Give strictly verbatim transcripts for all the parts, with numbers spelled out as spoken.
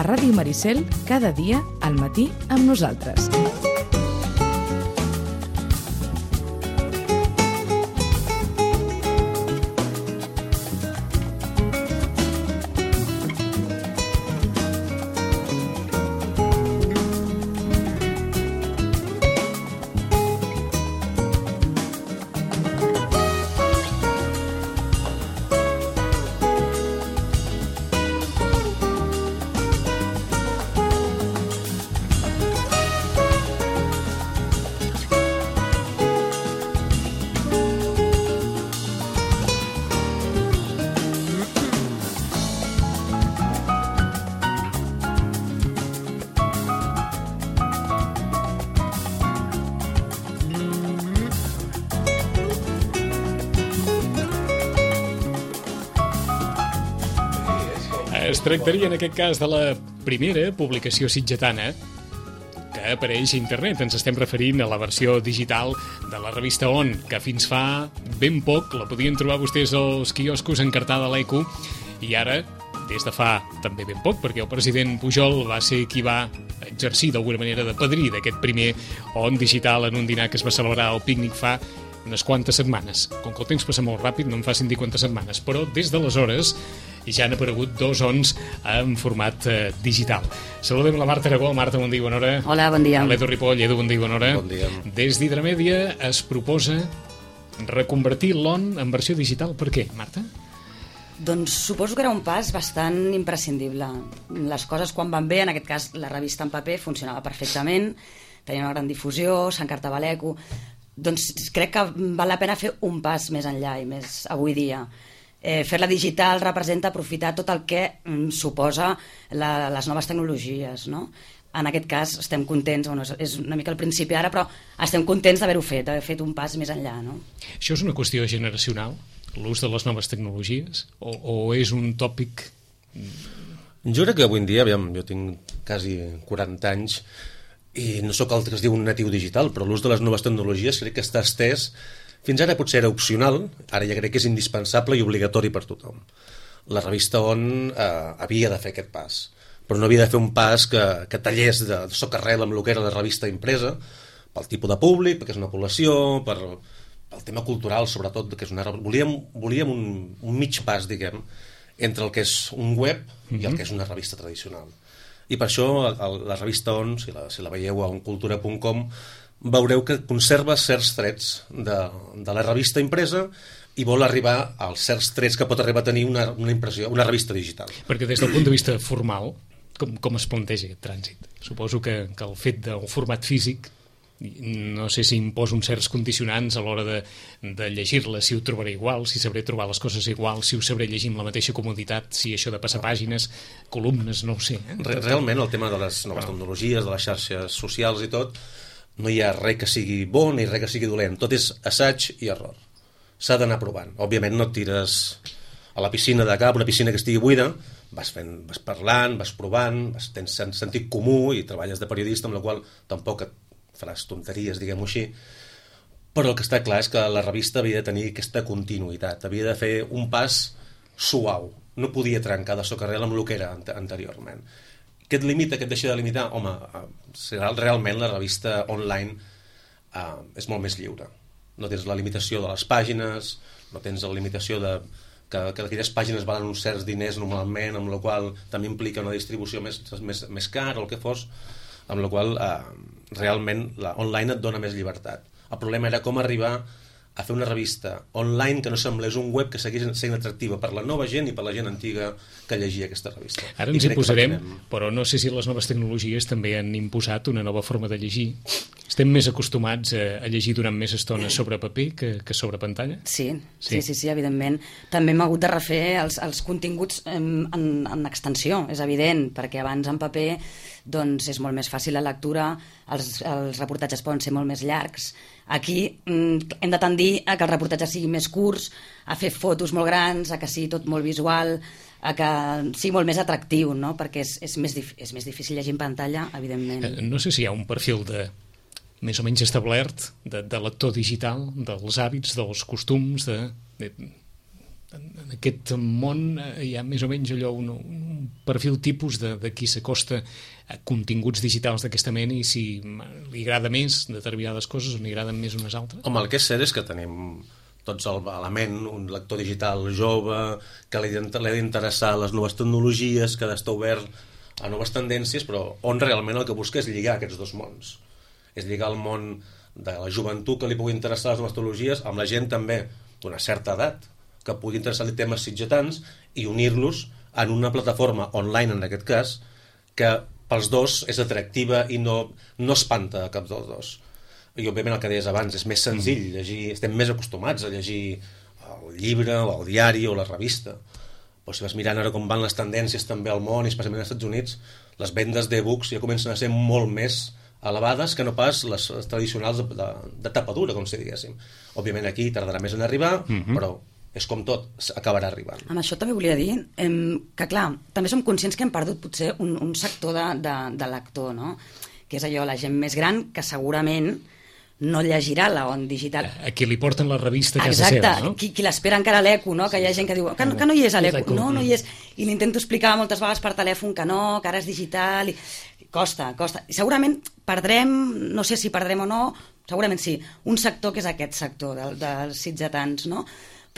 Ràdio Maricel, cada dia al matí amb nosaltres. Es tractaria en aquest cas de la primera publicació sitgetana que apareix a internet. Ens estem referint a la versió digital de la revista On, que fins fa ben poc la podien trobar vostès als quioscos encartada a l'Eco, i ara, des de fa també ben poc, perquè el president Pujol va ser qui va exercir d'alguna manera de padrí d'aquest primer On digital en un dinar que es va celebrar al Pícnic fa unes quantes setmanes. Com que el temps passa molt ràpid, no em facin dir quantes setmanes, però des d'aleshores ja han aparegut dos ons en format eh, digital. Saludem la Marta Aragó. Marta, bon dia, bona hora. Hola, bon dia. L'Edu Ripoll, Edu, bon dia, bona hora. Bon dia. Des d'Hidramèdia es proposa reconvertir l'On en versió digital. Per què, Marta? Doncs suposo que era un pas bastant imprescindible. Les coses quan van bé, en aquest cas la revista en paper funcionava perfectament, tenia una gran difusió, s'encartava a l'Eco. Doncs crec que val la pena fer un pas més enllà i més avui dia. Eh, fer-la digital representa aprofitar tot el que mm, suposa la, les noves tecnologies, no? En aquest cas estem contents, bueno, és una mica el principi ara, però estem contents d'haver-ho fet, d'haver fet un pas més enllà, no? Això és una qüestió generacional, l'ús de les noves tecnologies, o, o és un tòpic? Jo crec que avui en dia, aviam, jo tinc quasi quaranta anys i no sóc el que es diu un natiu digital, però l'ús de les noves tecnologies crec que està estès. Fins ara potser era opcional, ara ja crec que és indispensable i obligatori per tothom. La revista On eh, havia de fer aquest pas, però no havia de fer un pas que, que tallés de, de socarrel amb el que era la revista impresa, pel tipus de públic, perquè és una població, per, pel tema cultural, sobretot, que és una, volíem, volíem un, un mig pas, diguem, entre el que és un web i el que és una revista tradicional. I per això el, la revista On, si la, si la veieu a oncultura punt com, veureu que conserva certs trets de, de la revista impresa i vol arribar als certs trets que pot arribar a tenir una, una impressió, una revista digital. Perquè des del punt de vista formal, com, com es planteja aquest trànsit? Suposo que, que el fet del format físic, no sé si imposa uns certs condicionants a l'hora de, de llegir-la, si ho trobaré igual, si sabré trobar les coses igual, si ho sabré llegir amb la mateixa comoditat, si això de passar pàgines, columnes, no ho sé. Eh? Realment el tema de les noves tecnologies, de les xarxes socials i tot, no hi ha res que sigui bo ni res que sigui dolent. Tot és assaig i error. S'ha d'anar provant. Òbviament no et tires a la piscina de cap, una piscina que estigui buida, vas, fent, vas parlant, vas provant, vas, tens sentit comú i treballes de periodista, amb la qual tampoc et faràs tonteries, diguem-ho així. Però el que està clar és que la revista havia de tenir aquesta continuïtat, havia de fer un pas suau. No podia trencar de socarrel amb el que era anteriorment. Què et limita, què et deixa de limitar? Home, realment la revista online eh, és molt més lliure. No tens la limitació de les pàgines, no tens la limitació de que, que aquelles pàgines valen uns certs diners normalment, amb la qual també implica una distribució més, més, més cara o el que fos, amb la qual eh, realment la online et dona més llibertat. El problema era com arribar a fer una revista online que no semblés un web que seguís sent atractiva per la nova gent i per la gent antiga que llegia aquesta revista. Ara ens hi posarem, però no sé si les noves tecnologies també han imposat una nova forma de llegir. Estem més acostumats a, a llegir durant més estona sobre paper que, que sobre pantalla? Sí, sí, sí, sí, sí, evidentment. També hem hagut de refer els, els continguts en, en, en extensió, és evident, perquè abans en paper doncs, és molt més fàcil la lectura, els, els reportatges poden ser molt més llargs. Aquí mm, hem de tendir a que els reportatges siguin més curts, a fer fotos molt grans, a que sigui tot molt visual, a que sigui molt més atractiu, no? Perquè és, és, més dif- és més difícil llegir en pantalla, evidentment. Eh, no sé si hi ha un perfil de més o menys establert de, de lector digital, dels hàbits, dels costums, de, de, en aquest món hi ha més o menys allò un, un perfil tipus de, de qui s'acosta a continguts digitals d'aquesta mena i si li agrada més determinades coses o li agraden més unes altres? Home, el que és cert és que tenim tots el, a la ment un lector digital jove que li ha d'interessar les noves tecnologies, que ha d'estar obert a noves tendències, però on realment el que busca és lligar aquests dos mons. És lligar el món de la joventut que li pugui interessar les noves tecnologies amb la gent també d'una certa edat que pugui interessar-li temes sitgetans i unir-los en una plataforma online, en aquest cas, que pels dos és atractiva i no, no espanta a cap dels dos. I òbviament el que deies abans, és més senzill llegir, estem més acostumats a llegir el llibre o el diari o la revista, però si vas mirant ara com van les tendències també al món i especialment als Estats Units, les vendes d'e-books ja comencen a ser molt més elevades que no pas les, les tradicionals de, de, de tapa dura, com si diguéssim. Òbviament aquí tardarà més en arribar, mm-hmm. però és com tot, acabarà arribant. Amb això també volia dir em, que, clar, també som conscients que hem perdut potser un, un sector de, de, de lector, no? Que és allò, la gent més gran, que segurament no llegirà la on digital. A qui li porten la revista a casa Exacte, seva, no? qui, qui l'espera encara a l'Eco, no? Que hi ha gent que diu que no, que no hi és a l'Eco, no, no hi és. I l'intento explicar moltes vegades per telèfon que no, que ara és digital, i costa, costa. I segurament perdrem, no sé si perdrem o no, segurament sí, un sector que és aquest sector del, dels sitgetans, no?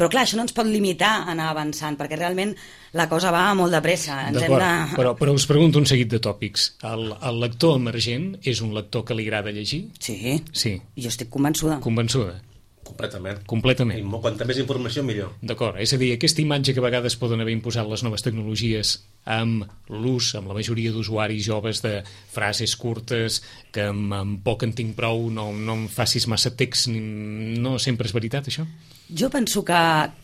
Però clar, això no ens pot limitar a anar avançant, perquè realment la cosa va molt de pressa. Ens hem de... però, però us pregunto un seguit de tòpics. El, el lector emergent és un lector que li agrada llegir? Sí, sí. Jo estic convençuda. Convençuda? Completament. Completament. I quanta més informació, millor. D'acord, és a dir, aquesta imatge que a vegades poden haver imposat les noves tecnologies amb l'ús, amb la majoria d'usuaris joves de frases curtes, que amb, amb poc en tinc prou, no, no em facis massa text, no sempre és veritat, això? Jo penso que,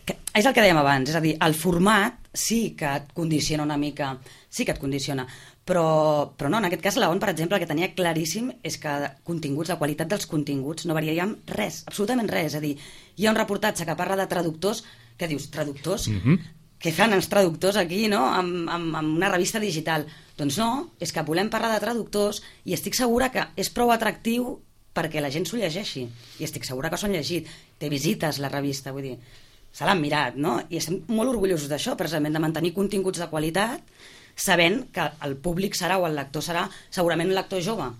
que és el que dèiem abans, és a dir, el format sí que et condiciona una mica, sí que et condiciona, però, però no, en aquest cas la O N, per exemple, el que tenia claríssim és que continguts, la qualitat dels continguts no variaríem res, absolutament res, és a dir, hi ha un reportatge que parla de traductors, que dius, traductors? Mm-hmm. Què fan els traductors aquí, no?, amb, amb, amb una revista digital? Doncs no, és que volem parlar de traductors i estic segura que és prou atractiu perquè la gent s'ho llegeixi, i estic segura que s'ho han llegit, té visites la revista, vull dir, se l'han mirat, no? I estem molt orgullosos d'això, precisament, de mantenir continguts de qualitat, sabent que el públic serà, o el lector serà, segurament un lector jove.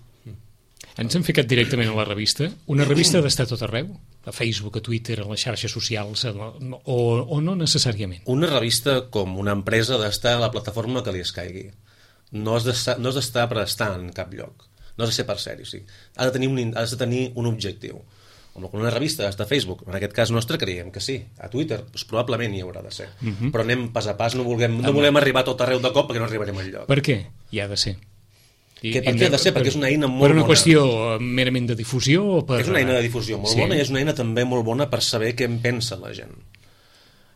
Ens hem ficat directament a la revista. Una revista ha d'estar a tot arreu? A Facebook, a Twitter, a les xarxes socials, o, o no necessàriament? Una revista, com una empresa, ha d'estar a la plataforma que li escaigui. No has d'estar, no has d'estar per estar en cap lloc. No has de ser per sèrie, o sigui, ha de tenir un, has de tenir un objectiu. Com una revista està a Facebook, en aquest cas nostre creiem que sí, a Twitter doncs probablement hi haurà de ser, uh-huh. però anem pas a pas, no, vulguem, no volem arribar a tot arreu de cop perquè no arribarem enlloc. Per què hi ha de ser? I, que, per què ha de ser? Per, perquè és una eina molt bona. Per una bona. qüestió merament de difusió? O per... És una eina de difusió molt sí. bona i és una eina també molt bona per saber què en pensa la gent.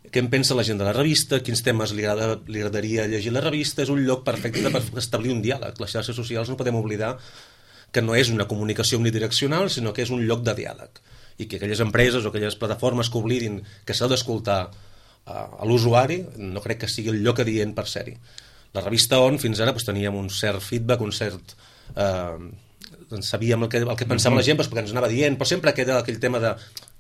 Què en pensa la gent de la revista, quins temes li, agrada, li agradaria llegir la revista, és un lloc perfecte per establir un diàleg. Les xarxes socials no podem oblidar que no és una comunicació unidireccional, sinó que és un lloc de diàleg. I que aquelles empreses o aquelles plataformes que oblidin que s'ha d'escoltar uh, a l'usuari, no crec que sigui el lloc adient per ser-hi. La revista O N fins ara doncs, teníem un cert feedback, un cert... Uh, doncs sabíem el que, el que pensava mm-hmm. la gent doncs, perquè ens anava dient, però sempre queda aquell tema de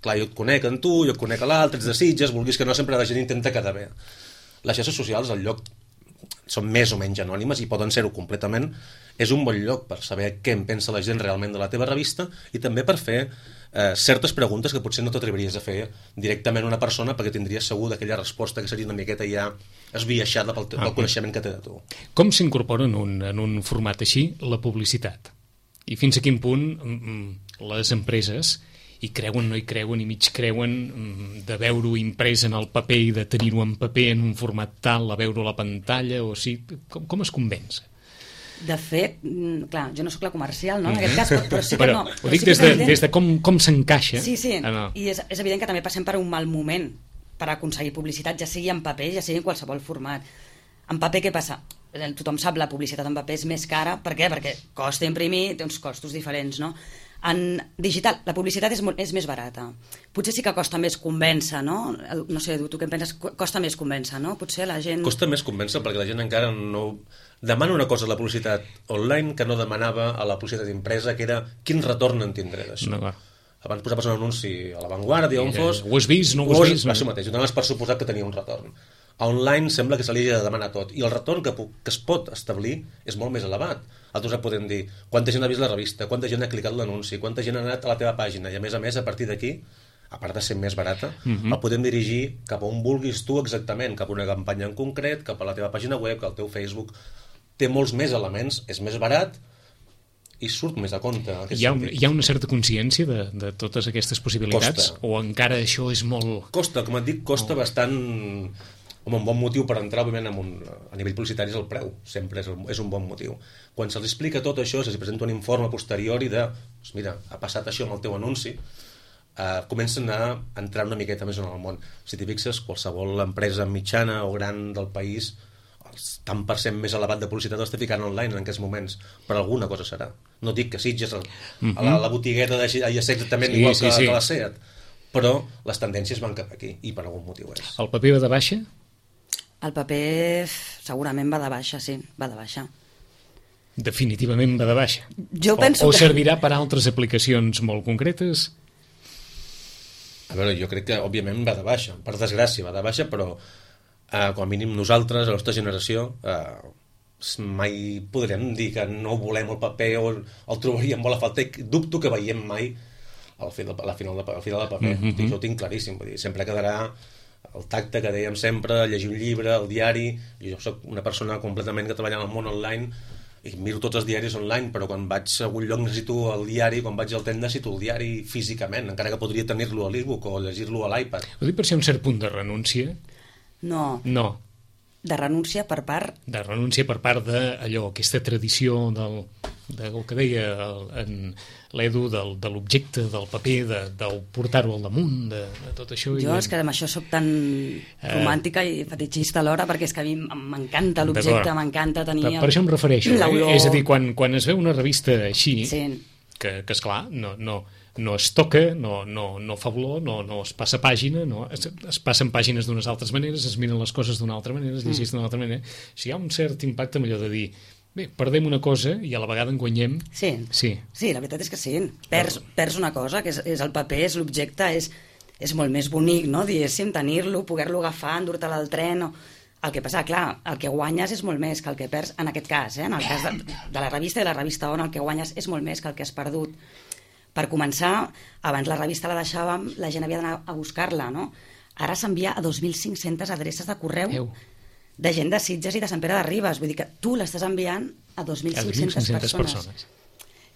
clar, jo et conec en tu, jo et conec a l'altre, ets de Sitges, vulguis que no, sempre la gent intenta quedar bé. Les xarxes socials, el lloc són més o menys anònimes i poden ser-ho completament, és un bon lloc per saber què en pensa la gent realment de la teva revista i també per fer eh, certes preguntes que potser no t'atreviries a fer directament a una persona perquè tindries segur d'aquella resposta que seria una miqueta ja esbiaixada pel, pel ah, coneixement que té de tu. Com s'incorpora en, un, en un format així la publicitat? I fins a quin punt les empreses hi creuen, no hi creuen, i mig creuen de veure-ho imprès en el paper i de tenir-ho en paper en un format tal, a veure-ho a la pantalla, o sigui, com, com es convenç? De fet, clar, jo no sóc la comercial, no?, en aquest cas, però, però sí que però, no. Ho dic sí des, de, des de com, com s'encaixa. Sí, sí, ah, no. i és, és evident que també passem per un mal moment per aconseguir publicitat, ja sigui en paper, ja sigui en qualsevol format. En paper què passa? Tothom sap, la publicitat en paper és més cara. Per què? Perquè costa imprimir, té uns costos diferents, no? En digital, la publicitat és, molt, és més barata. Potser sí que costa més convèncer, no? No sé, tu què en penses? Costa més convèncer, no? Potser la gent... Costa més convèncer perquè la gent encara no... Demana una cosa a la publicitat online que no demanava a la publicitat impresa, que era quin retorn en tindré d'això. No, va. Abans posaves un anunci a La Vanguardia, on fos... Ho has vist, no ho has vist? Això mateix, ho donaves per suposat que tenia un retorn. A online sembla que se li hagi de demanar tot, i el retorn que, que es pot establir és molt més elevat. Altres podem dir quanta gent ha vist la revista, quanta gent ha clicat l'anunci, quanta gent ha anat a la teva pàgina, i a més a més, a partir d'aquí, a part de ser més barata, uh-huh. el podem dirigir cap a on vulguis tu exactament, cap a una campanya en concret, cap a la teva pàgina web, cap al teu Facebook. Té molts més elements, és més barat i surt més a compte. Hi ha, un, hi ha una certa consciència de, de totes aquestes possibilitats? Costa. O encara això és molt... Costa, com et dic, costa oh. bastant... Home, un bon motiu per entrar, òbviament, en un, a nivell publicitari és el preu. Sempre és, és un bon motiu. Quan se'ls explica tot això, se'ls presenta un informe posteriori de, doncs mira, ha passat això amb el teu anunci, eh, comencen a entrar una miqueta més en el món. Si t'hi fixes, qualsevol empresa mitjana o gran del país, el tant per cent més elevat de publicitat l'està ficant online en aquests moments. Per alguna cosa serà. No dic que Sitges, el, uh-huh. a la, la botigueta de ja sé exactament sí, igual sí, que, sí. que la SEAT, però les tendències van cap aquí, i per algun motiu és. El paper va de baixa? El paper segurament va de baixa, sí, va de baixa. Definitivament va de baixa. Jo penso o, o que... servirà per a altres aplicacions molt concretes? A veure, jo crec que òbviament va de baixa, per desgràcia va de baixa, però eh, com a mínim nosaltres, a la nostra generació, eh, mai podrem dir que no volem el paper o el trobaríem molt a falta, i dubto que veiem mai al final, al final, al final del paper. Mm-hmm. Això ho tinc claríssim, vull dir, sempre quedarà el tacte que dèiem sempre, llegir un llibre, el diari. Jo soc una persona completament que treballa en el món online i miro tots els diaris online, però quan vaig a algun lloc necessito el diari, quan vaig al tren necessito el diari físicament, encara que podria tenir-lo a l'e-book o llegir-lo a l'iPad. Ho dic per ser un cert punt de renúncia? No. No. De renúncia per part... De renúncia per part d'allò, aquesta tradició del, del que deia el, en l'Edu, del, de l'objecte, del paper, de, del portar-ho al damunt, de, de tot això. Jo i... és que amb això soc tan romàntica i fetichista alhora, perquè és que a mi m'encanta l'objecte, m'encanta tenir... Per, per això em refereixo. Eh? És a dir, quan, quan es veu una revista així, sí. que, que esclar, no... no no es toca, no, no, no fa olor, no, no es passa pàgina, no, es, es passen pàgines d'unes altres maneres, es miren les coses d'una altra manera, es llegeix d'una altra manera. O sigui, hi ha un cert impacte amb allò de dir, bé, perdem una cosa i a la vegada en guanyem. Sí, sí. sí, la veritat és que sí. Perds, perds una cosa, que és, és el paper, és l'objecte, és, és molt més bonic, no? Diguéssim, tenir-lo, poder-lo agafar, endur-te'l al tren... O... El que passa, clar, el que guanyes és molt més que el que perds, en aquest cas, eh? En el cas de, de la revista i la revista On, el que guanyes és molt més que el que has perdut. Per començar, abans la revista la deixàvem, la gent havia d'anar a buscar-la, no? Ara s'envia a dos mil cinc-centes adreces de correu Eu. de gent de Sitges i de Sant Pere de Ribes. Vull dir que tu l'estàs enviant a dos mil cinc-centes persones. persones.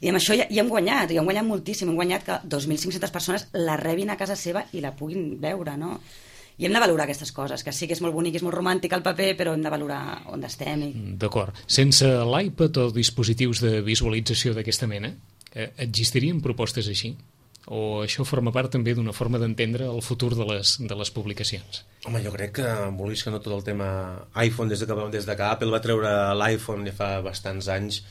I amb això ja, ja hem guanyat, i hem guanyat moltíssim. Hem guanyat que dos mil cinc-centes persones la rebin a casa seva i la puguin veure, no? I hem de valorar aquestes coses, que sí que és molt bonic, és molt romàntic el paper, però hem de valorar on estem. I... D'acord. Sense l'iPad o dispositius de visualització d'aquesta mena, existirien propostes així? O això forma part també d'una forma d'entendre el futur de les, de les publicacions? Home, jo crec que, vulguis que no, tot el tema iPhone, des de que, des de que Apple va treure l'iPhone ja fa bastants anys,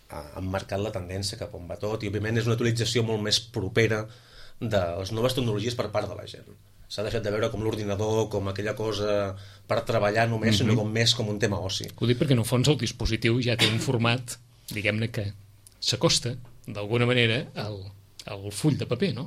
han marcat la tendència cap on va tot, i òbviament és una utilització molt més propera de les noves tecnologies per part de la gent. S'ha deixat de veure com l'ordinador, com aquella cosa per treballar només, mm-hmm. sinó com més com un tema oci. Ho dic perquè en el fons el dispositiu ja té un format, diguem-ne, que s'acosta d'alguna manera al, al full de paper, no?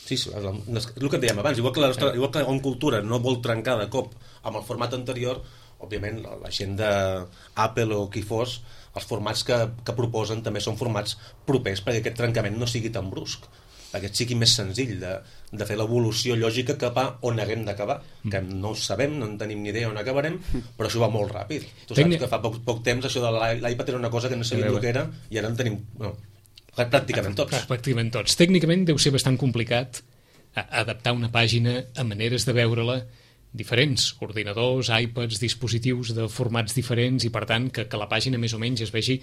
Sí, sí, és el que dèiem abans, igual que, la nostra, igual que la cultura no vol trencar de cop amb el format anterior, òbviament la gent d'Apple o qui fos, els formats que, que proposen també són formats propers perquè aquest trencament no sigui tan brusc, perquè sigui més senzill de, de fer l'evolució lògica cap a on haguem d'acabar, que no ho sabem, no en tenim ni idea on acabarem, però això va molt ràpid. Tu saps que fa poc, poc temps això de l'iPad era una cosa que no sabíem el que era i ara en tenim... No, pràcticament tots. Pràcticament tots. Tècnicament deu ser bastant complicat adaptar una pàgina a maneres de veure-la diferents, ordinadors, iPads, dispositius de formats diferents, i per tant que, que la pàgina més o menys es vegi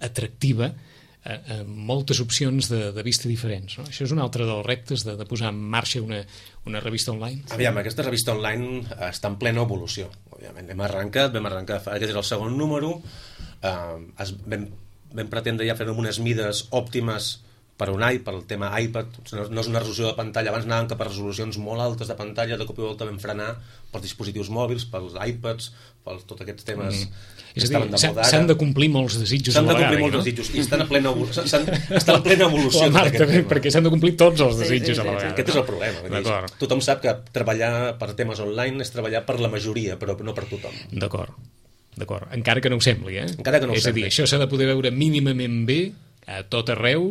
atractiva a, a moltes opcions de, de vista diferents, no? Això és un altre dels reptes de, de posar en marxa una, una revista online. Aviam, aquesta revista online està en plena evolució. Òbviament, hem arrencat, vam arrencar, aquest és el segon número, eh, es, vam vam pretendre ja fer unes mides òptimes per un i, per el tema iPad, no és una resolució de pantalla, abans anàvem cap a resolucions molt altes de pantalla, de cop i volta vam frenar pels dispositius mòbils, pels iPads, per tots aquests temes mm. que estaven de moda ara. S'han de complir molts desitjos s'han a la vegada. S'han de complir molts no? desitjos, i estan, a plena, estan, estan en plena evolució. La Marta, perquè s'han de complir tots els desitjos sí, sí, sí, a la vegada. Aquest és el problema. Tothom sap que treballar per temes online és treballar per la majoria, però no per tothom. D'acord. D'acord, encara que no ho sembli, eh? Encara que no ho és sembli. a dir, això s'ha de poder veure mínimament bé a tot arreu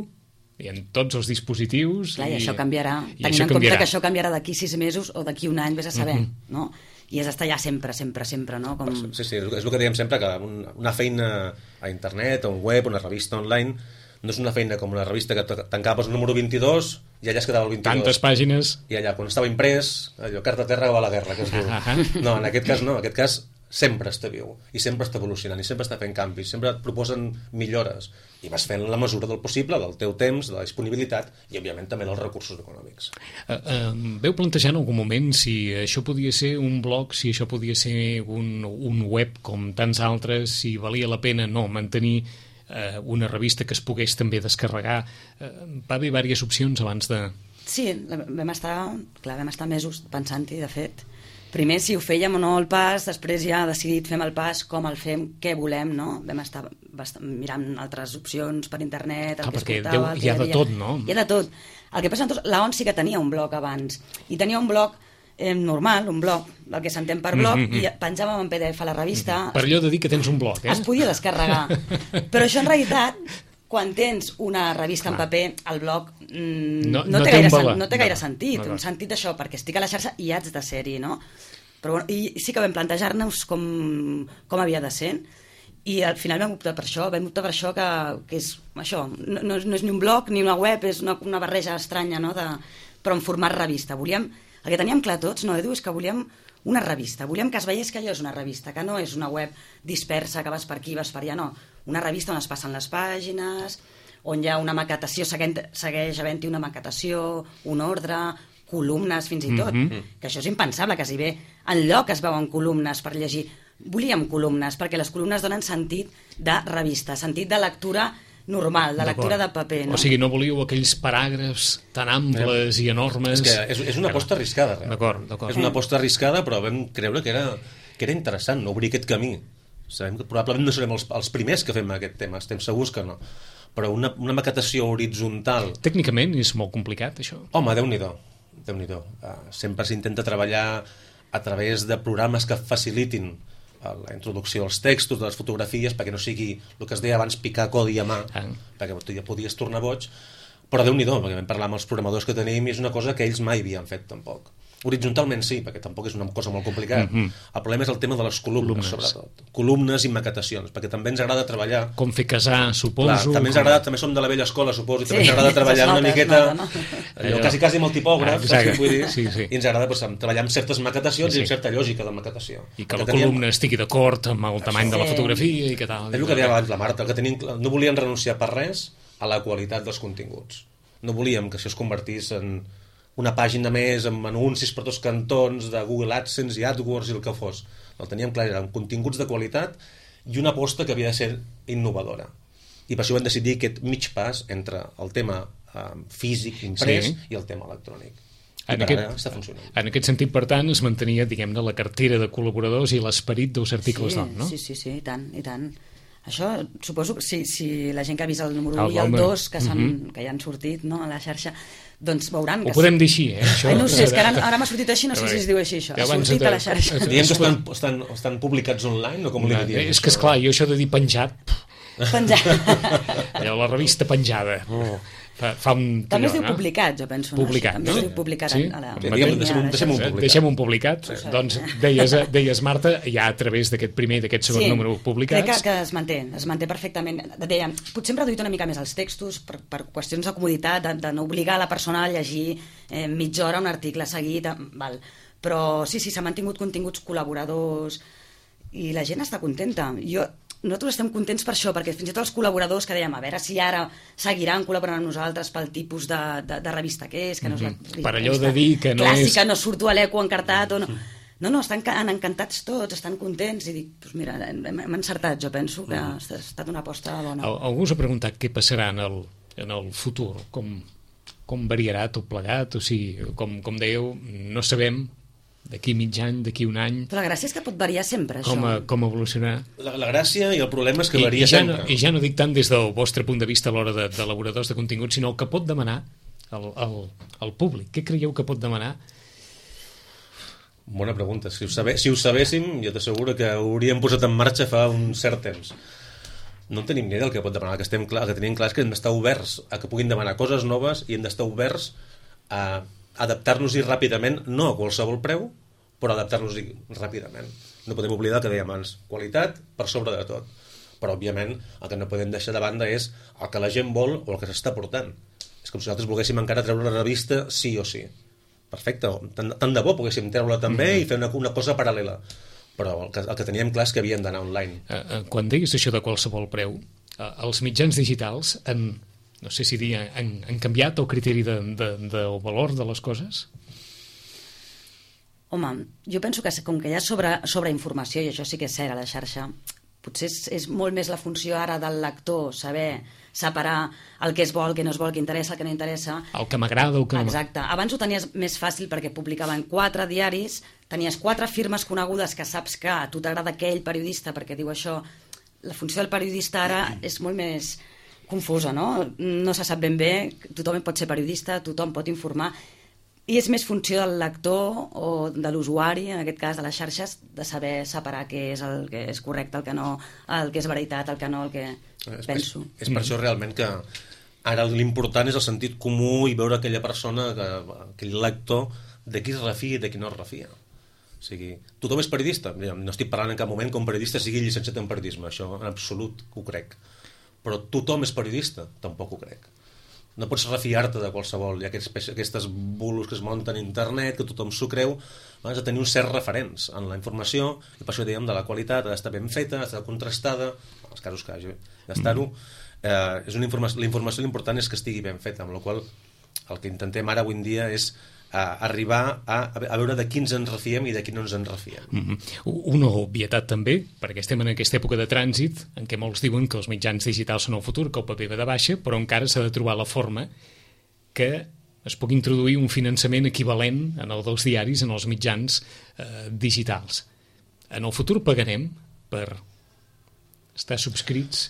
i en tots els dispositius. Clar, i, i això canviarà. I Tenint això en compte canviarà. que això canviarà d'aquí sis mesos o d'aquí un any, vés a saber, uh -huh. no? I és estar allà sempre, sempre, sempre, no? Com... Sí, sí, és el que dèiem sempre, que una feina a internet, a un web, una revista online, no és una feina com una revista que tancaves el número vint-i-dos i allà es quedava el vint-i-dos. Tantes pàgines. I allà, quan estava imprès, allò, carta a terra va a la guerra, que es diu. Uh -huh. No, en aquest cas no, en aquest cas sempre està viu, i sempre està evolucionant, i sempre està fent canvis, sempre et proposen millores, i vas fent la mesura del possible, del teu temps, de la disponibilitat, i òbviament també dels recursos econòmics. Uh, uh, veu plantejar en algun moment si això podia ser un blog, si això podia ser un, un web com tants altres, si valia la pena no mantenir uh, una revista que es pogués també descarregar. Uh, va haver diverses opcions abans de... Sí, vam estar, clar, vam estar mesos pensant-hi, de fet. Primer si ho fèiem o no el pas, després ja decidit fem el pas, com el fem, què volem, no? Vam estar mirant altres opcions per internet, el ah, que perquè escoltava... Déu, hi ha de tot, no? Hi ha de tot. El que passa, doncs, la O N sí que tenia un blog abans, i tenia un blog eh, normal, un blog, el que s'entén per blog, mm -hmm. i penjàvem en P D F a la revista... Mm -hmm. Per allò de dir que tens un blog, eh? Es podia descarregar. Però això, en realitat, quan tens una revista en paper, el blog mm, no, no, no, té gaire, sen, no té gaire no, sentit. No, no. Un sentit d'això, perquè estic a la xarxa i haig de ser-hi, no? Però bueno, i sí que vam plantejar-nos com, com havia de ser, i al final vam optar per això, vam optar per això que, que és això, no, no, no és ni un blog ni una web, és una, una barreja estranya, no? De, però en format revista. Volíem, el que teníem clar tots, no, Edu, és que volíem una revista, volíem que es veiés que allò és una revista, que no és una web dispersa, que vas per aquí, vas per allà, no. Una revista on es passen les pàgines, on hi ha una maquetació, segueix, segueix havent-hi una maquetació, un ordre, columnes fins i tot, mm -hmm. que això és impensable, que si bé enlloc es veuen columnes per llegir. Volíem columnes, perquè les columnes donen sentit de revista, sentit de lectura normal, de lectura de paper. No? O sigui, no volíeu aquells paràgrafs tan amples eh, i enormes... És que és, és una aposta arriscada. D'acord, d'acord. És una aposta arriscada, però vam creure que era, que era interessant, no obrir aquest camí. Sabem que probablement no serem els, els primers que fem aquest tema, estem segurs que no. Però una, una maquetació horitzontal... Tècnicament és molt complicat, això? Home, Déu-n'hi-do. Déu-n'hi-do. Uh, sempre s'intenta treballar a través de programes que facilitin uh, la introducció dels textos, de les fotografies, perquè no sigui el que es deia abans picar codi a mà, ah. perquè tu ja podies tornar boig, però Déu-n'hi-do, perquè vam parlar amb els programadors que tenim i és una cosa que ells mai havien fet tampoc. Horitzontalment sí, perquè tampoc és una cosa molt complicada. Mm -hmm. El problema és el tema de les columnes, columnes, sobretot. Columnes i maquetacions, perquè també ens agrada treballar... Com fer casar, suposo... Clar, també ens agrada, també som de la vella escola, suposo, i també sí, ens agrada treballar nota, una miqueta... Nota, no? Allò, quasi, quasi amb el tipògraf, ah, saps què vull dir? Sí, sí. I ens agrada pues, treballar amb certes maquetacions sí, sí. i amb certa lògica de maquetació. I que la teníem... columna estigui d'acord amb el tamany sí. de la fotografia i què tal. És el que deia abans la Marta, que tenim... no volíem renunciar per res a la qualitat dels continguts. No volíem que això es convertís en una pàgina més amb anuncis per tots cantons de Google AdSense i AdWords i el que fos. El teníem clar, eren continguts de qualitat i una aposta que havia de ser innovadora. I per això vam decidir aquest mig pas entre el tema eh, físic, imprès, sí. i el tema electrònic. I en aquest, està funcionant. En aquest sentit, per tant, es mantenia, diguem-ne, la cartera de col·laboradors i l'esperit dels articles sí, d'on, no? Sí, sí, sí, i tant, i tant. Això, suposo que si, si la gent que ha vist el número un i el dos, que, uh -huh. que ja han sortit no, a la xarxa, doncs veuran... Ho que podem dir així, eh? Això... Ai, no sé, és que ara, ara m'ha sortit així, no sé si es diu així, això. Ha sortit de... a la xarxa. Diem que estan, estan, estan publicats online, o com li diem? És que, esclar, jo això de dir penjat... Penjat. Allò, la revista penjada. Oh. Fa, fa un... També es diu publicat, jo penso. Publicat, no? També es diu publicat. Sí? A la... Diguem, deixem, un, deixem un publicat. Deixem un publicat. Sí. Doncs deies, deies, Marta, ja a través d'aquest primer i d'aquest segon sí, número publicats... crec que, que es manté, es manté perfectament. Dèiem, potser hem reduït una mica més els textos per, per qüestions de comoditat, de, de no obligar la persona a llegir eh, mitja hora un article seguit, val. Però sí, sí, s'han mantingut continguts col·laboradors i la gent està contenta. Jo... Nosaltres estem contents per això, perquè fins i tot els col·laboradors que dèiem, a veure si ara seguiran col·laborant amb nosaltres pel tipus de, de, de revista que és, que no és la, mm-hmm. per allò de dir que no clàssica, és... no surto a l'eco encartat o no... No, no, estan encantats tots, estan contents i dic, doncs mira, hem encertat, jo penso que ha estat una aposta bona. Algú us ha preguntat què passarà en el en el futur? Com, com variarà tot plegat? O sigui, com, com dèieu, no sabem d'aquí mig any, d'aquí un any... Però la gràcia és que pot variar sempre, com, això. Com evolucionarà. La, la gràcia i el problema és que I, varia i ja sempre. No, I ja no dic tant des del vostre punt de vista a l'hora d'elaboradors de, de contingut, sinó el que pot demanar el, el, el públic. Què creieu que pot demanar? Bona pregunta. Si ho, sabe, si ho sabéssim, jo t'asseguro que ho hauríem posat en marxa fa un cert temps. No en tenim ni idea del que pot demanar. El que, estem clar, el que tenim clar és que hem d'estar oberts a que puguin demanar coses noves i hem d'estar oberts a adaptar-nos-hi ràpidament, no a qualsevol preu, però adaptar-nos-hi ràpidament. No podem oblidar que dèiem abans, qualitat per sobre de tot. Però, òbviament, el que no podem deixar de banda és el que la gent vol o el que s'està portant. És com si nosaltres volguéssim encara treure una revista sí o sí. Perfecte, tant, tant de bo poguéssim treure-la també mm-hmm. i fer una, una cosa paral·lela. Però el que, el que teníem clar és que havíem d'anar online. Uh, uh, quan diguis això de qualsevol preu, uh, els mitjans digitals han, no sé si dir, han, han canviat el criteri de, de, del valor de les coses? Home, jo penso que com que hi ha sobre, sobre informació, i això sí que és cert a la xarxa, potser és, és molt més la funció ara del lector, saber separar el que es vol, el que no es vol, el que interessa, el que no interessa. El que m'agrada, el que no... Exacte. Abans ho tenies més fàcil perquè publicaven quatre diaris, tenies quatre firmes conegudes que saps que a tu t'agrada aquell periodista perquè diu això. La funció del periodista ara és molt més confusa, no? No se sap ben bé, tothom pot ser periodista, tothom pot informar, i és més funció del lector o de l'usuari, en aquest cas de les xarxes, de saber separar què és el que és correcte, el que no, el que és veritat, el que no, el que és penso. Per, és per això realment que ara l'important és el sentit comú i veure aquella persona, que, aquell lector, de qui es refia i de qui no es refia. O sigui, tothom és periodista. No estic parlant en cap moment com periodista sigui llicenciat en periodisme, això en absolut ho crec. Però tothom és periodista, tampoc ho crec. No pots refiar-te de qualsevol. Hi ha aquests, aquestes bulos que es munten a internet, que tothom s'ho creu. Has de tenir uns certs referents en la informació, i per això dèiem de la qualitat, ha d'estar ben feta, ha d'estar contrastada, en els casos que hagi d'estar-ho. Eh, és una informació, la informació l'important és que estigui ben feta, amb la qual el que intentem ara avui en dia és a arribar a, a veure de qui ens en refiem i de qui no ens en refiem. Mm-hmm. Una obvietat també, perquè estem en aquesta època de trànsit en què molts diuen que els mitjans digitals són el futur, que el paper va de baixa, però encara s'ha de trobar la forma que es pugui introduir un finançament equivalent en el dels diaris, en els mitjans eh, digitals. En el futur pagarem per estar subscrits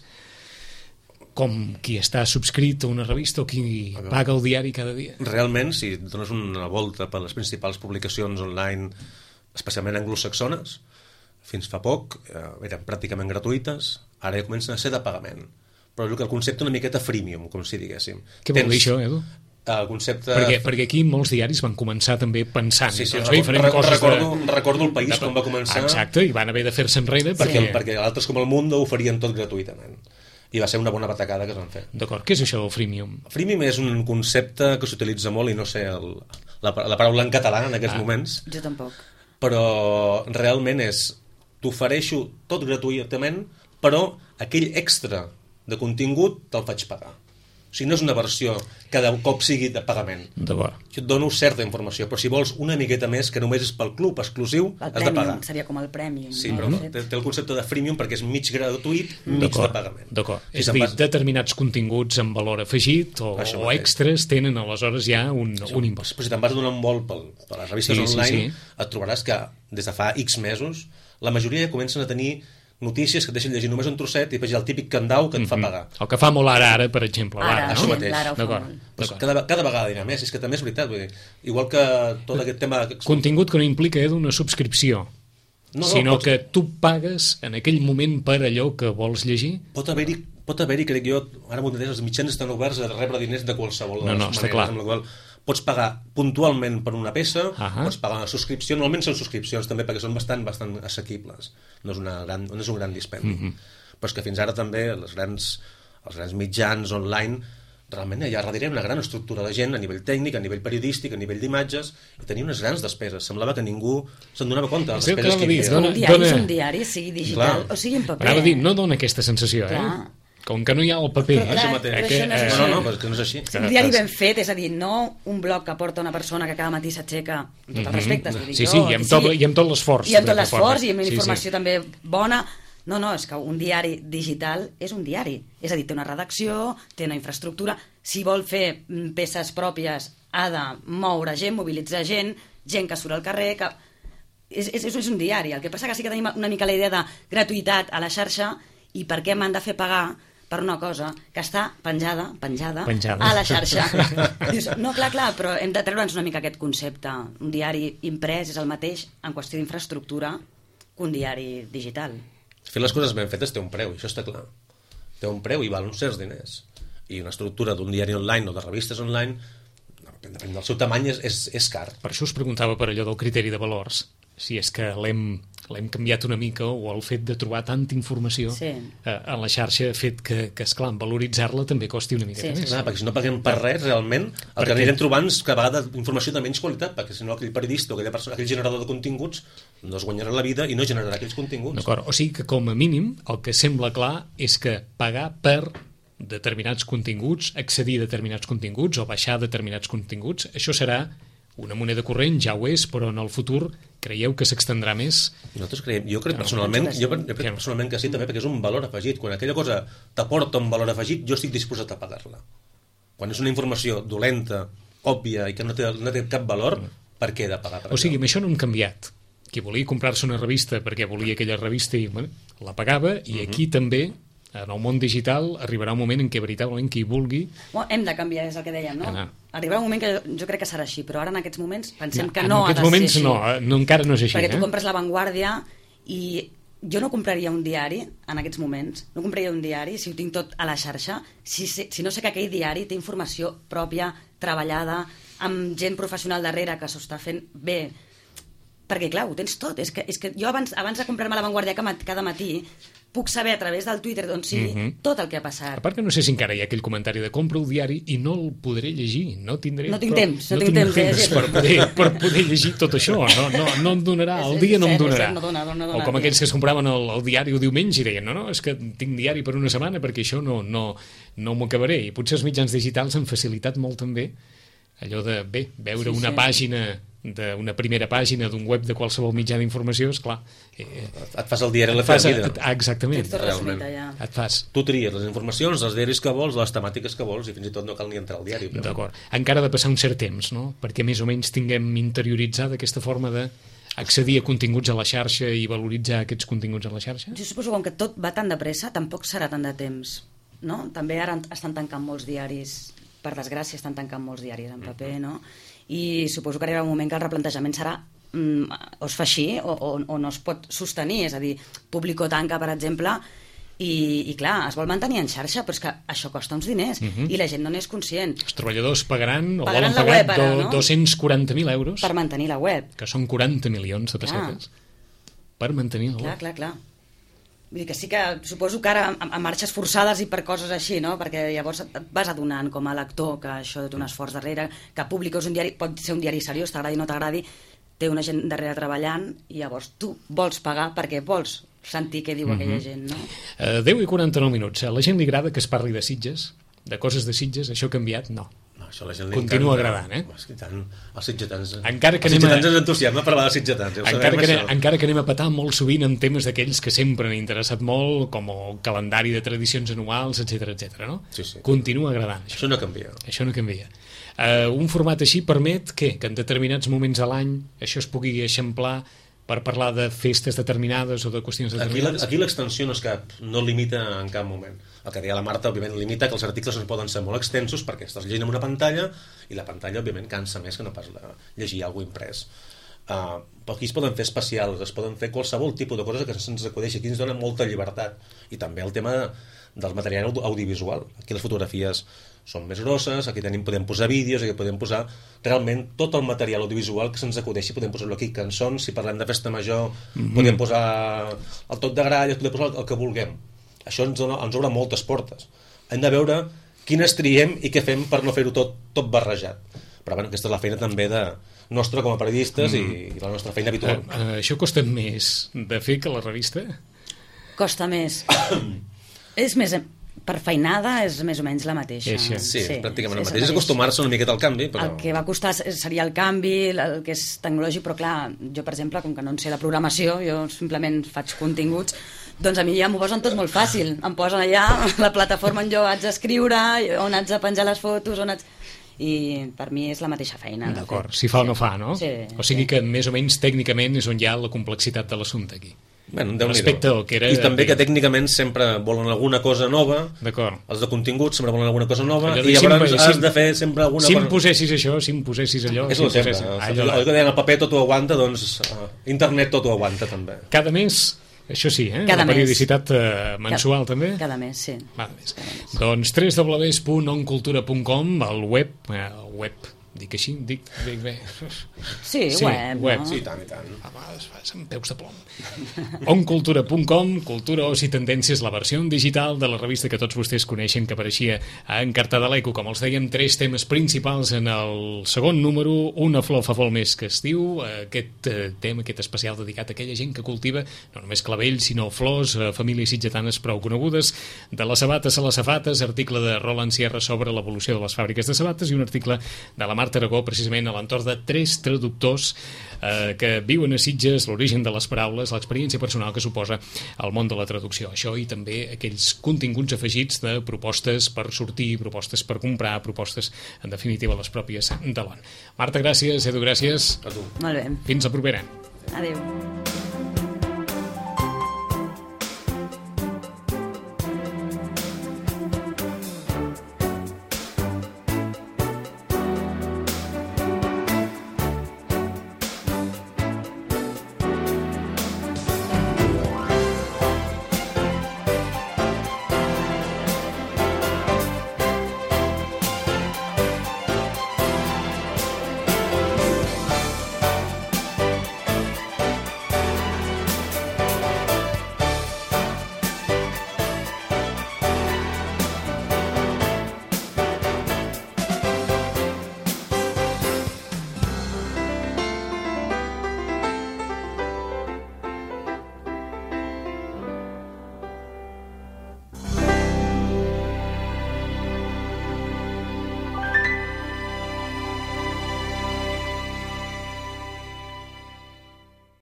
com qui està subscrit a una revista o qui paga el diari cada dia. Realment, si dones una volta per les principals publicacions online, especialment anglosaxones, fins fa poc eh, eren pràcticament gratuïtes, ara ja comencen a ser de pagament. Però el concepte una miqueta freemium, com si diguéssim. Què vol dir això, Edu? El concepte... Perquè, perquè aquí molts diaris van començar també pensant sí, sí, doncs, bé, farem coses recordo, de... recordo el país de... com va començar. Exacte, i van haver de fer-se enrere perquè, perquè... perquè altres com el Mundo ho farien tot gratuïtament. I va ser una bona batacada que es van fer. D'acord, què és això del freemium? Freemium és un concepte que s'utilitza molt i no sé el, la, la paraula en català en aquests ah. moments. Jo tampoc. Però realment és t'ofereixo tot gratuïtament, però aquell extra de contingut te'l faig pagar. O sigui, no és una versió que de cop sigui de pagament. D'acord. Jo et dono certa informació, però si vols una miqueta més, que només és pel club exclusiu, el has de pagar. Seria com el Premium. Sí, no? però no, té, té el concepte de freemium perquè és mig gratuït, mig de pagament. D'acord. Si és a dir, vas... determinats continguts amb valor afegit o, o extras tenen aleshores ja un, sí, un impost. Però si te'n vas donar un vol per, per les revistes sí, online, sí, sí. et trobaràs que des de fa X mesos la majoria ja comencen a tenir notícies que et deixen llegir només un trosset i després hi ha el típic candau que et fa pagar. El que fa molt ara, ara, per exemple. Ara, ara, això no? mateix. Ara ho fa molt. Pues cada, cada vegada dirà més, és que també és veritat. Vull dir, igual que tot aquest tema... Contingut que no implica eh, una subscripció, no, no, sinó pots... que tu pagues en aquell moment per allò que vols llegir. Pot haver-hi, pot haver-hi, crec jo, ara m'ho entens, els mitjans estan oberts a rebre diners de qualsevol de no, les no, maneres, clar. amb la qual pots pagar puntualment per una peça, uh-huh. pots pagar una subscripció, normalment són subscripcions també perquè són bastant bastant assequibles, no és, una gran, no és un gran dispendi. Uh-huh. Però és que fins ara també les grans, els grans mitjans online realment hi ha darrere una gran estructura de gent a nivell tècnic, a nivell periodístic, a nivell d'imatges, i tenia unes grans despeses. Semblava que ningú se'n donava compte de les despeses que hi havia. Un diari és un diari, sigui digital Clar. o sigui en paper. Anava a dir, no dona aquesta sensació, Clar. eh? Com que no hi ha el paper. Però, clar, eh, que, no, no, no, no, que no és així. Un diari ben fet, és a dir, no un blog que porta una persona que cada matí s'aixeca amb tot el respecte. Sí, sí, i amb tot, i amb tot l'esforç. I amb tot l'esforç, i amb informació sí, sí. també bona. No, no, és que un diari digital és un diari. És a dir, té una redacció, té una infraestructura. Si vol fer peces pròpies, ha de moure gent, mobilitzar gent, gent que surt al carrer... Que... És, és, és un diari. El que passa que sí que tenim una mica la idea de gratuïtat a la xarxa i per què m'han de fer pagar per una cosa que està penjada, penjada, penjada. a la xarxa. Dius, no, clar, clar, però hem de treure'ns una mica aquest concepte. Un diari imprès és el mateix en qüestió d'infraestructura que un diari digital. Fer les coses ben fetes té un preu, això està clar. Té un preu i val uns certs diners. I una estructura d'un diari online o de revistes online, depèn del seu tamany, és, és, és car. Per això us preguntava per allò del criteri de valors, si és que l'hem l'hem canviat una mica, o el fet de trobar tanta informació sí. eh, en la xarxa ha fet que, que esclar, valoritzar-la també costi una mica sí, més. Sí, clar, perquè si no paguem per res, realment, el per que anirem trobant és que a vegades informació de menys qualitat, perquè si no aquell periodista o aquella persona, aquell generador de continguts no es guanyarà la vida i no generarà aquells continguts. D'acord, o sigui que com a mínim el que sembla clar és que pagar per determinats continguts, accedir a determinats continguts o baixar determinats continguts, això serà una moneda corrent, ja ho és, però en el futur creieu que s'extendrà més? Nosaltres creiem, jo crec personalment, jo crec personalment que sí, també, perquè és un valor afegit. Quan aquella cosa t'aporta un valor afegit, jo estic disposat a pagar-la. Quan és una informació dolenta, òbvia i que no té, no té cap valor, per què he de pagar per O sigui, amb això no hem canviat. Qui volia comprar-se una revista perquè volia aquella revista i bueno, la pagava, i aquí uh-huh. també en el món digital arribarà un moment en què veritablement qui vulgui... Bueno, hem de canviar, és el que dèiem, no? Anar. Arribarà un moment que jo, jo crec que serà així, però ara en aquests moments pensem no, que no ha de ser moments, així. No, no, encara no és així. Perquè tu eh? compres La Vanguardia i jo no compraria un diari en aquests moments, no compraria un diari si ho tinc tot a la xarxa, si, si, si no sé que aquell diari té informació pròpia, treballada, amb gent professional darrere que s'ho està fent bé. Perquè, clar, ho tens tot. És que, és que jo abans, abans de comprar-me La Vanguardia cada matí puc saber a través del Twitter d'on sigui uh-huh. tot el que ha passat. A part que no sé si encara hi ha aquell comentari de compra el diari i no el podré llegir, no tindré... No tinc però, temps, no, no tinc temps, temps per, poder, per poder llegir tot això, no, no, no em donarà, el dia no em donarà. No dona, no dona, o com aquells que es compraven el, el diari el diumenge i deien, no, no, és que tinc diari per una setmana perquè això no, no, no m'ho acabaré. I potser els mitjans digitals han facilitat molt també allò de, bé, veure sí, una sí. pàgina... d'una primera pàgina d'un web de qualsevol mitjà d'informació, esclar... Eh, et fas el diari a la fas, vida. Exactament. Realment. Ja. Et fas. Tu tries les informacions, els diaris que vols, les temàtiques que vols, i fins i tot no cal ni entrar al diari. Però... D'acord. Encara ha de passar un cert temps, no? Perquè més o menys tinguem interioritzada aquesta forma de accedir a continguts a la xarxa i valoritzar aquests continguts a la xarxa? Jo suposo que com que tot va tan de pressa, tampoc serà tant de temps, no? També ara estan tancant molts diaris, per desgràcia estan tancant molts diaris en paper, no? I suposo que arribarà un moment que el replantejament serà mm, o es fa així o, o, o no es pot sostenir, és a dir, Público tanca, per exemple, i, i clar, es vol mantenir en xarxa, però és que això costa uns diners, uh-huh. i la gent no n'és conscient. Els treballadors pagaran, o pagaran volen pagar web, ara, do, no? dos-cents quaranta mil euros per mantenir la web, que són quaranta milions de pessetes, per mantenir la clar, web. Clar, clar, Vull dir que sí que suposo que ara a marxes forçades i per coses així, no? Perquè llavors et vas adonant com a lector que això té un esforç darrere, que Público és un diari, pot ser un diari seriós, t'agradi o no t'agradi, té una gent darrere treballant i llavors tu vols pagar perquè vols sentir què diu uh-huh. aquella gent, no? Uh, deu i quaranta-nou minuts. A la gent li agrada que es parli de Sitges, de coses de Sitges, això ha canviat? No. No, això la gent continua agradant, eh? Tant, els sitgetans, encara que els anem sitgetans a... ens entusiasma parlar dels sitgetans. Ja encara, que anem, això. encara que anem a petar molt sovint en temes d'aquells que sempre han interessat molt, com el calendari de tradicions anuals, etcètera, etcètera, no? Sí, sí. Continua agradant. Això, això no canvia. Això no canvia. Uh, un format així permet què? Que en determinats moments a l'any això es pugui eixamplar per parlar de festes determinades o de qüestions determinades. Aquí l'extensió no és cap, no limita en cap moment. El que deia la Marta, òbviament, limita que els articles no poden ser molt extensos perquè estàs llegint en una pantalla i la pantalla, òbviament, cansa més que no pas la, llegir alguna cosa imprès. Uh, però aquí es poden fer especials, es poden fer qualsevol tipus de coses que se'ns acudeixi. Aquí ens dona molta llibertat. I també el tema del material audiovisual. Aquí les fotografies són més grosses, aquí tenim, podem posar vídeos, aquí podem posar realment tot el material audiovisual que se'ns acudeixi, podem posar-lo aquí, cançons, si parlem de festa major, mm-hmm. podem posar el tot de gralles, podem posar el que vulguem. Això ens, dona, ens obre moltes portes. Hem de veure quines triem i què fem per no fer-ho tot, tot barrejat. Però bueno, aquesta és la feina també de nostra com a periodistes mm. i, i la nostra feina habitual. Uh, uh, això costa més de fer que la revista? Costa més. És més... Per feinada és més o menys la mateixa. Sí, sí, sí pràcticament sí, la mateixa. És acostumar-se una miqueta al canvi. Però... El que va costar seria el canvi, el que és tecnològic, però clar, jo, per exemple, com que no en sé la programació, jo simplement faig continguts, Doncs a mi ja m'ho posen tot molt fàcil. Em posen allà la plataforma on jo haig d'escriure, on haig de penjar les fotos, on haig... I per mi és la mateixa feina. D'acord, si fa o no fa, no? Sí, o sigui sí. que més o menys tècnicament és on hi ha la complexitat de l'assumpte aquí. Bueno, respecte al que era... I també que tècnicament sempre volen alguna cosa nova. D'acord. Els de contingut sempre volen alguna cosa nova. Allò I llavors si has si de fer sempre alguna si cosa... Si em posessis això, si em posessis allò... És si el sempre. posessis... Allò, allò que deien el paper tot ho aguanta, doncs uh, internet tot ho aguanta també. Cada mes, això sí, eh? Cada la mes. periodicitat uh, mensual cada, també? Cada mes, sí. Cada mes. Cada mes. Doncs w w w punt oncultura punt com, el web, eh, el web... Dic així? Dic, dic bé. Sí, sí web, web. No? Sí, tant i tant. A vegades fas amb peus de plom. oncultura punt com, Cultura, Oci, Tendències, la versió digital de la revista que tots vostès coneixen, que apareixia en Carta de l'Eco. Com els dèiem, tres temes principals en el segon número. Una flor fa molt més que estiu. Aquest tema, aquest especial dedicat a aquella gent que cultiva no només clavells, sinó flors, famílies sitgetanes prou conegudes. De les sabates a les safates, article de Roland Sierra sobre l'evolució de les fàbriques de sabates i un article de la Marta Aragó, precisament a l'entorn de tres traductors eh, que viuen a Sitges, l'origen de les paraules, l'experiència personal que suposa el món de la traducció. Això i també aquells continguts afegits de propostes per sortir, propostes per comprar, propostes, en definitiva, les pròpies de l'O N. Marta, gràcies. Edu, gràcies. A tu. Molt bé. Fins la propera. Adéu.